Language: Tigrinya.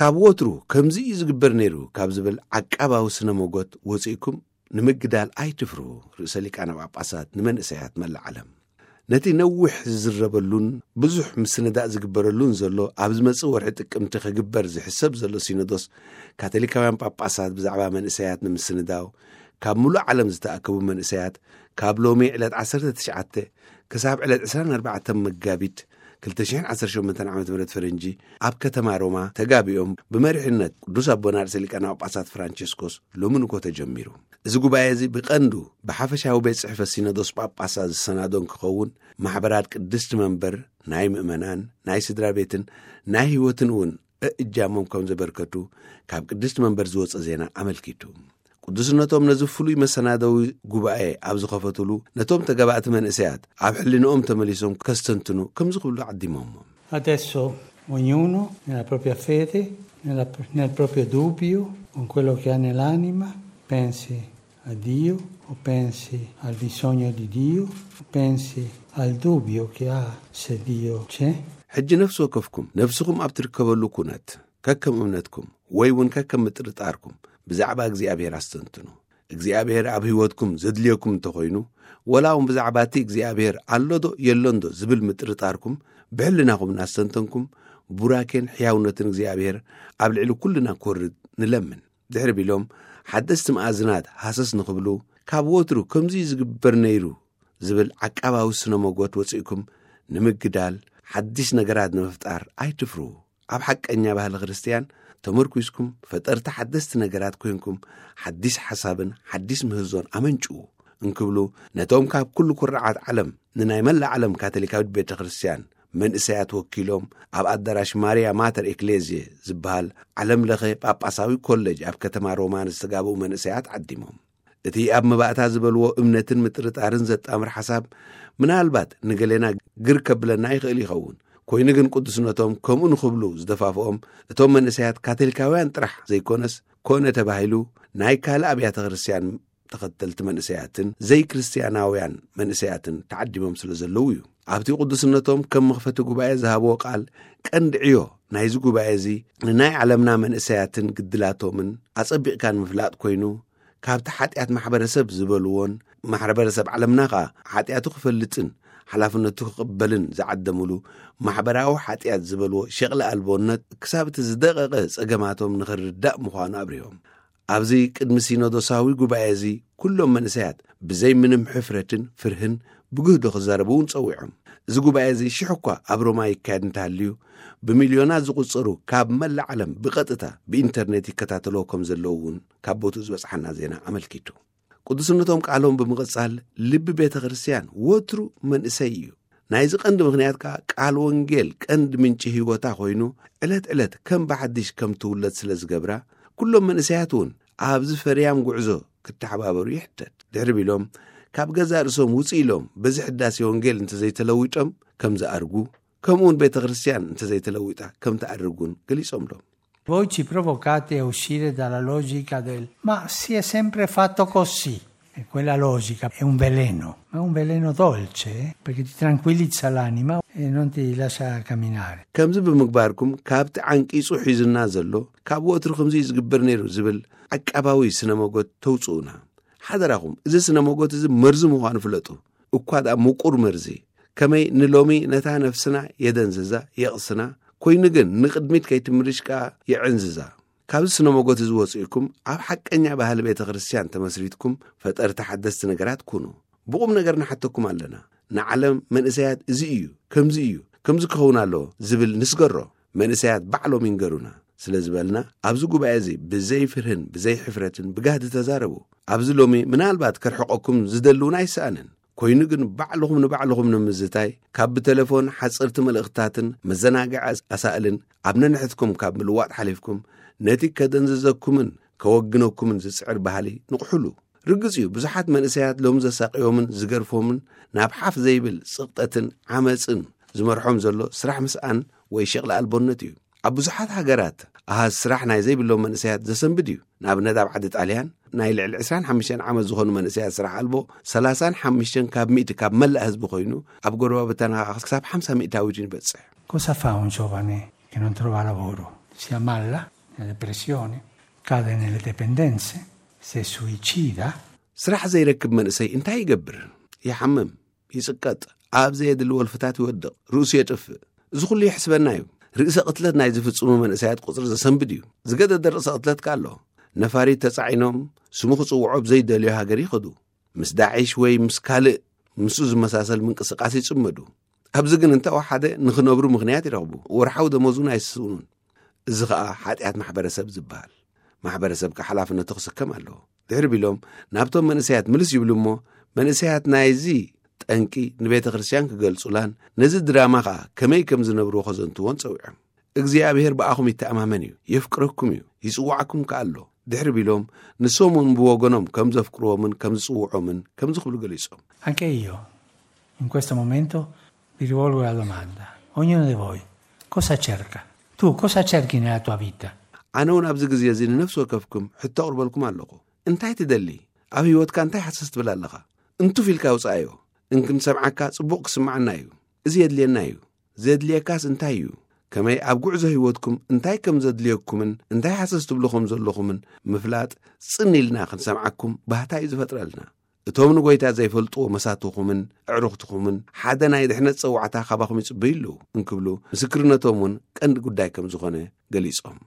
ካብ ወትሩ ከምዚ እዩ ዝግበር ነይሩ ካብ ዝብል ዓቃባዊ ስነ ሞጎት ወፂእኩም ንምግዳል ኣይትፍርሁ። ርእሰ ሊቃነ ጳጳሳት ንመንእሰያት መላእ ዓለም ነቲ ነዊሕ ዝዝረበሉን ብዙሕ ምስንዳእ ዝግበረሉን ዘሎ ኣብ ዝመጽእ ወርሒ ጥቅምቲ ክግበር ዝሕሰብ ዘሎ ሲኖዶስ ካቶሊካውያን ጳጳሳት ብዛዕባ መንእሰያት ንምስንዳው ካብ ሙሉእ ዓለም ዝተኣከቡ መንእሰያት ካብ ሎሚ ዕለት ዓሰርተ ትሽዓተ ክሳብ ዕለት ዕስራን ኣርባዕተን መጋቢት ክልተ ሽሕን ዓሰርተ ሸሞንተን ዓመተ ምህረት ፈረንጂ ኣብ ከተማ ሮማ ተጋቢኦም ብመሪሕነት ቅዱስ ኣቦና ርእሰ ሊቃነ ጳጳሳት ፍራንቸስኮስ ሎሚ ንግሆ ተጀሚሩ። እዚ ጉባኤ እዚ ብቐንዱ ብሓፈሻዊ ቤት ጽሕፈት ሲኖዶስ ጳጳሳት ዝሰናዶ እንክኸውን ማሕበራት ቅድስቲ መንበር ናይ ምእመናን ናይ ስድራ ቤትን ናይ ህይወትን እውን እእጃሞም ከም ዘበርከቱ ካብ ቅድስቲ መንበር ዝወጸ ዜና ኣመልኪቱ። ቅዱስነቶም ነዚ ፍሉይ መሰናደዊ ጉባኤ ኣብ ዝኸፈትሉ ነቶም ተጋባእቲ መንእሰያት ኣብ ሕሊንኦም ተመሊሶም ከስተንትኑ ከምዚ ክብሉ ዓዲሞሞም። Adesso ognuno nella propria fede, nella- nel proprio dubbio, con quello che ha nell'anima, pensi a Dio o pensi al bisogno di Dio o pensi al dubbio che ha se Dio c'è. ሕጂ ነፍሲ ወከፍኩም ነፍስኹም ኣብ ትርከበሉ ኩነት ከከም እምነትኩም ወይ እውን ከከም ምጥርጣርኩም ብዛዕባ እግዚኣብሔር ኣስተንትኑ። እግዚኣብሔር ኣብ ህይወትኩም ዘድልየኩም እንተኾይኑ፣ ወላ እውን ብዛዕባ እቲ እግዚኣብሔር ኣሎዶ የሎንዶ ዝብል ምጥርጣርኩም ብሕልናኹም እናስተንተንኩም፣ ቡራኬን ሕያውነትን እግዚኣብሔር ኣብ ልዕሊ ኩልና ክወርድ ንለምን። ድሕሪ ቢሎም ሓደስቲ መኣዝናት ሃሰስ ንኽብሉ፣ ካብ ወትሩ ከምዚ ዝግበር ነይሩ ዝብል ዓቃባዊ ስነ መጎት ወፂእኩም ንምግዳል ሓድሽ ነገራት ንምፍጣር ኣይትፍርሁ። ኣብ ሓቀኛ ባህሊ ክርስትያን ተመርኩስኩም ፈጠርቲ ሓደስቲ ነገራት ኮይንኩም ሓድሽ ሓሳብን ሓድሽ ምህዞን ኣመንጭዉ እንክብሉ ነቶም ካብ ኩሉ ኩርዓት ዓለም ንናይ መላእ ዓለም ካቶሊካዊት ቤተ ክርስትያን መንእሰያት ወኪሎም ኣብ ኣዳራሽ ማርያ ማተር ኤክሌዝየ ዝበሃል ዓለም ለኸ ጳጳሳዊ ኮሌጅ ኣብ ከተማ ሮማ ንዝተጋብኡ መንእሰያት ዓዲሞም። እቲ ኣብ መባእታ ዝበልዎ እምነትን ምጥርጣርን ዘጣምር ሓሳብ ምናልባት ንገሌና ግር ከብለና ይኽእል ይኸውን። ኮይኑ ግን ቅዱስነቶም ከምኡ ንኽብሉ ዝደፋፍኦም እቶም መንእሰያት ካቶሊካውያን ጥራሕ ዘይኮነስ ኮነ ተባሂሉ ናይ ካልእ ኣብያተ ክርስትያን ተኸተልቲ መንእሰያትን ዘይክርስቲያናውያን መንእሰያትን ተዓዲሞም ስለ ዘለዉ እዩ። ኣብቲ ቅዱስነቶም ከም መኽፈቲ ጉባኤ ዝሃብዎ ቃል ቀንዲ ዕዮ ናይዚ ጉባኤ እዚ ንናይ ዓለምና መንእሰያትን ግድላቶምን ኣጸቢቕካ ንምፍላጥ ኮይኑ ካብቲ ሓጢኣት ማሕበረሰብ ዝበልዎን ማሕበረሰብ ዓለምና ኸኣ ሓጢኣቱ ክፈልጥን ሓላፍነቱ ክቕበልን ዝዓደምሉ ማሕበራዊ ሓጢኣት ዝበልዎ ሸቕሊ ኣልቦነት ክሳብ እቲ ዝደቐቐ ጸገማቶም ንኽርዳእ ምዃኑ ኣብሪሆም። ኣብዚ ቅድሚ ሲኖዶሳዊ ጉባኤ እዚ ኩሎም መንእሰያት ብዘይ ምንም ሕፍረትን ፍርህን ብግህዶ ክዛረቡ እውን ጸዊዖም። እዚ ጉባኤ እዚ ሽሕ እኳ ኣብ ሮማ ይካየድ እንተሃልዩ ብሚልዮናት ዝቑጸሩ ካብ መላእ ዓለም ብቐጥታ ብኢንተርኔት ይከታተልዎ ከም ዘለዉ እውን ካብ ቦትኡ ዝበጽሓና ዜና ኣመልኪቱ። ቅዱስነቶም ቃሎም ብምቕጻል ልቢ ቤተ ክርስትያን ወትሩ መንእሰይ እዩ። ናይዚ ቀንዲ ምኽንያት ከኣ ቃል ወንጌል ቀንዲ ምንጪ ህይወታ ኮይኑ ዕለት ዕለት ከም ብሓድሽ ከም ትውለድ ስለ ዝገብራ ኩሎም መንእሰያት እውን ኣብዚ ፈርያም ጉዕዞ ክተሓባበሩ ይሕተት። ድሕሪ ቢሎም ካብ ገዛእ ርእሶም ውፅእ ኢሎም በዚ ሕዳሴ ወንጌል እንተዘይተለዊጦም ከም ዝኣርጉ ከምኡውን ቤተ ክርስትያን እንተዘይተለዊጣ ከም ትኣርግ እውን ገሊጾምሎም። Voi ci provocate a uscire dalla logica del "ma si è sempre fatto così". E quella logica è un veleno, ma è un veleno dolce, eh, perché ti tranquillizza l'anima e non ti lascia camminare. ከምዚ ብምግባርኩም ካብቲ ዓንቂጹ ሒዙና ዘሎ ካብ ወትሩ ከምዚ እዩ ዝግበር ነይሩ ዝብል ዓቃባዊ ስነ መጎት ተውጽኡና። ሓደራኹም እዚ ስነ መጎት እዚ መርዚ ምዃኑ ፍለጡ። እኳ ደኣ ምቁር መርዚ ከመይ ንሎሚ ነታ ነፍስና የደንዝዛ የቕስና ኮይኑ ግን ንቕድሚት ከይትምርሽ ከኣ የዕንዝዛ። ካብዚ ስነ መጎት እዚ ወፂእኩም ኣብ ሓቀኛ ባህሊ ቤተ ክርስትያን ተመስሪትኩም ፈጠርቲ ሓደስቲ ነገራት ኩኑ። ብቑም ነገር ንሓተኩም ኣለና። ንዓለም መንእሰያት እዚ እዩ፣ ከምዚ እዩ፣ ከምዚ ክኸውን ኣለዎ ዝብል ንስገሮ። መንእሰያት ባዕሎም ይንገሩና ስለ ዝበልና ኣብዚ ጉባኤ እዚ ብዘይ ፍርህን ብዘይ ሕፍረትን ብጋህዲ ተዛረቡ። ኣብዚ ሎሚ ምናልባት ከርሕቐኩም ዝደሊ እውን ኣይሰኣንን። ኮይኑ ግን ባዕልኹም ንባዕልኹም ንምዝታይ ካብ ብቴሌፎን ሓፀርቲ መልእኽትታትን መዘናግዒ ኣሳእልን ኣብ ነንሕትኩም ካብ ምልዋጥ ሓሊፍኩም ነቲ ከደንዝዘኩምን ከወግነኩምን ዝፅዕር ባህሊ ንቕሕሉ። ርግፅ እዩ ብዙሓት መንእሰያት ሎም ዘሳቕዮምን ዝገርፎምን ናብ ሓፍ ዘይብል ፅቕጠትን ዓመፅን ዝመርሖም ዘሎ ስራሕ ምስኣን ወይ ሸቕሊ ኣልቦነት እዩ። ኣብ ብዙሓት ሃገራት ኣሃዝ ስራሕ ናይ ዘይብሎም መንእሰያት ዘሰንብድ እዩ። ንኣብነት ኣብ ዓዲ ጣልያን ናይ ልዕሊ ዕስራን ሓሙሽተን ዓመት ዝኾኑ መንእሰያት ስራሕ ኣልቦ ሰላሳን ሓሙሽተን ካብ ሚእቲ ካብ መላእ ህዝቢ ኮይኑ ኣብ ጎረባብታና ክሳብ ሓምሳ ሚእታዊት ይበፅሕ። Cosa fa un giovane che non trova lavoro? Si ammalla? nelle depressioni, cade nelle dipendenze, si suicida. ስራሕ ዘይረክብ መንእሰይ እንታይ ይገብር? ይሓምም፣ ይጽቀጥ፣ ኣብ ዘየድሊ ወልፍታት ይወድቕ፣ ርእሱ የጥፍእ። እዚ ኩሉ ይሕስበና እዩ። ርእሰ ቅትለት ናይ ዝፍጽሙ መንእሰያት ቁጽሪ ዘሰንብድ እዩ። ዝገደደ ርእሰ ቅትለት ከ ኣሎ። ነፋሪት ተጻዒኖም ስሙ ክጽውዖ ብዘይደልዮ ሃገር ይኸዱ። ምስ ዳዒሽ ወይ ምስ ካልእ ምስኡ ዝመሳሰል ምንቅስቃስ ይጽመዱ። ኣብዚ ግን እንተወሓደ ንኽነብሩ ምኽንያት ይረኽቡ። ወርሓዊ ደሞዙን ኣይስውኑን። እዚ ኸኣ ሓጢኣት ማሕበረሰብ ዝበሃል። ማሕበረሰብ ከ ሓላፍነቱ ክስከም ኣለዎ። ድሕሪ ቢሎም ናብቶም መንእሰያት ምልስ ይብሉ እሞ፣ መንእሰያት ናይዚ ጠንቂ ንቤተ ክርስቲያን ክገልጹላን ነዚ ድራማ ኸኣ ከመይ ከም ዝነብርዎ ከዘንትዎን ጸዊዖም። እግዚኣብሔር ብኣኹም ይተኣማመን እዩ፣ የፍቅረኩም እዩ፣ ይጽዋዕኩም ከኣ ኣሎ። ድሕሪ ቢሎም ንሶም እውን ብወገኖም ከም ዘፍቅርዎምን ከም ዝጽውዖምን ከምዚ ክብሉ ገሊጾም። Anche io, in questo momento, vi rivolgo la domanda. Ognuno di voi, cosa cerca? Tu cosa cerchi nella tua vita? ኣነ እውን ኣብዚ ግዜ እዚ ንነፍሲ ወከፍኩም ሕቶ ኣቕርበልኩም ኣለኹ። እንታይ ትደሊ? ኣብ ህይወትካ እንታይ ሓሰስ ትብል ኣለኻ? እንቱፍ ኢልካ ውጻኣዮ። እንክንሰምዓካ ጽቡቕ ክስምዓና እዩ። እዚ የድልየና እዩ። ዘድልየካስ እንታይ እዩ? ከመይ ኣብ ጉዕዞ ህይወትኩም እንታይ ከም ዘድልየኩምን እንታይ ሓሰስ ትብሉ ከም ዘለኹምን ምፍላጥ ጽን ኢልና ክንሰምዓኩም ባህታ እዩ ዝፈጥረልና። እቶም ንጎይታ ዘይፈልጥዎ መሳትኹምን ኣዕሩኽትኹምን ሓደ ናይ ድሕነት ጸዋዕታ ካባኹም ይጽበዩ ኣለዉ እንክብሉ ምስክርነቶም እውን ቀንዲ ጉዳይ ከም ዝኾነ ገሊጾም።